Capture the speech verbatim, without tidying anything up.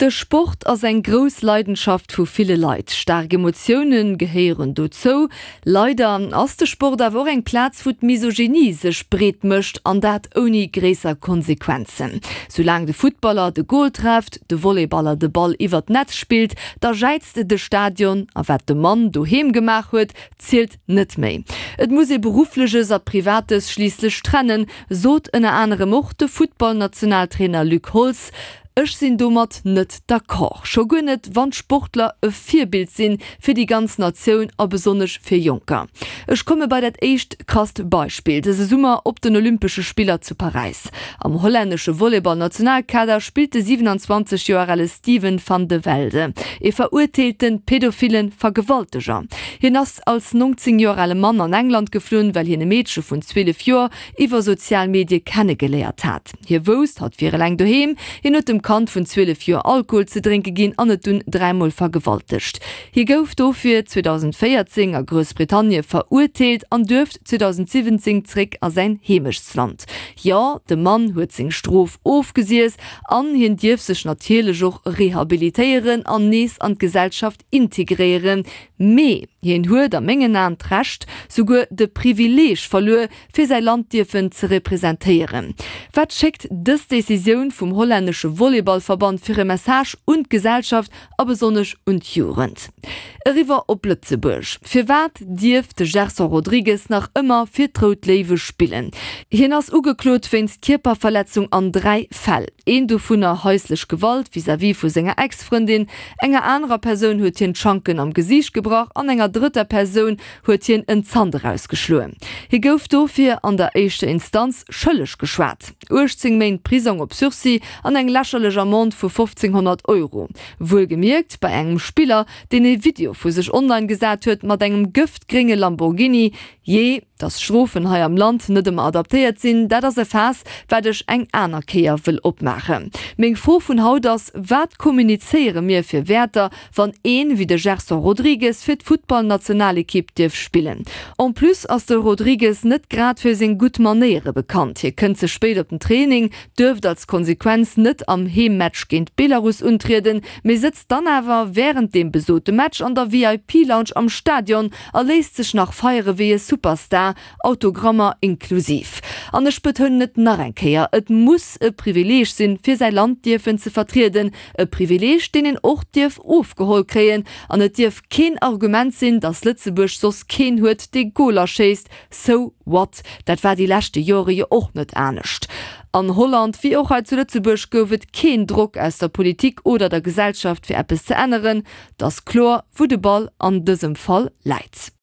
De Sport ass eng grouss Leidenschaft vu ville Leit. Staark Emotioune gehéieren dozou. Leider ass de Sport awer och eng Plaz, wou d'Misogynie sech breet mécht, an dat ouni gréisser Konsequenzen. Soulaang de Futtballer de Gol trefft, de Volleyballer de Ball iwwer d'Netz spillt, da jäizt de Stadion, a wat de Mann doheem gemaach huet, zielt net méi. Et muss ee Beruffleches a Privates schliisslech trennen, sot ënner anerem och de Futtballnationaltrainer Luc Holtz. Ech sinn domat net d'accord, scho guer net wann d'Sportler e Virbild sinn fir déi ganz Natioun a besonnesch fir Jonker. Ech komme bei dat éischt krasst Beispill, dëse Summer op den Olympesche Spiller zu Paräis. Am hollännesche Volleyball-Nationalkader spillt de siwenanzwanzeg Joer ale Steven van de Velde, ee verurteelte pädophile Vergewalteger. Hien ass als nongzéng Joer ale Mann an England geflunn, well hien e Meedche vun zwielef Joer iwwer sozial Medie kennegeléiert hat. Hie wousst, hatt wier eleng doheem. Hien huet dem Kand vun zwielef Joer Alkohol ze drénke ginn an et dunn dräimol vergewaltegt. Hie gouf dofir zweedausendvéierzéng a Groussbritannie verurteelt an duerft zweedausendsiwwenzéng zréck a säin Heemechtsland. Jo, de Mann huet seng Strof ofgesiess an hien dierf sech natierlech och rehabilitéieren an nees an d'Gesellschaft integréieren. Mee hien huet a mengen Aen d'Recht, souguer de Privileeg verluer, fir säi Land dierfen ze representéieren. Wat schéckt dës Decisioun vum hollännesche Volleyballverband fir e Message un d'Gesellschaft a besonnesch un d'Jugend? Eriwwer op Lëtzebuerg, Firwat dierf de Gerson Rodrigues nach ëmmer fir d'Rout Léiwe spillen? Hien ass ugeklot wéinst Kierperverletzung an dräi Fäll, een dovunner haislech Gewalt vis-à-vis vu senger Ex-Frëndin, enger anerer Persoun huet hien d'Schanken am Gesiicht gebrach an enger drëtter Persoun huet hien en Zant erausgeschloen. Hie gouf dofir an der éischter Instanz schëlleg geschwat, uechtzéng Méint Prisong op Sursis an eng lächerlech Amende vu fofzénghonnert Euro. Wuelgemierkt bei engem Spiller, deen e Video vu sech online gesat huet mat engem gëftgrénge Lamborghini. Jee, dass d'Strofen hei am Land net ëmmer adaptéiert sinn, dat ass e Faass, wat ech eng aner Kéier wëll opmaachen. Meng Fro vun haut ass, Wat kommunizéiere mir fir Wäerter, wann een wéi de Gerson Rodrigues fir d'Futtballnationalekipp dierf spillen? En plus ass de Rodrigues net grad fir seng gutt Manéiere bekannt. Hie kënnt ze spéit op den Training, duerft als Konsequenz net am Heemmatch géint Belarus untrieden, mee sëtzt dann awer wärend deem besote Match an der V I P-Lounge am Stadion a léisst sech nach feiere wéi e Superstar, Autogrammer inklusiv. An ech betounen et nach eng Kéier, Et muss e Privileeg sinn, fir säi Land dierfen ze vertrieden, e Privileeg, deen een och dierf ofgeholl kréien. An et dierf keen Argument sinn, datt Lëtzebuerg soss keen huet, dee Goler schéisst. So what? Dat war déi leschte Jore jo och net anescht. An Holland wéi och hei zu Lëtzebuerg gouf et keen Drock aus der Politik oder der Gesellschaft fir eppes ze änneren. Et ass kloer, wou de Ball an dësem Fall läit.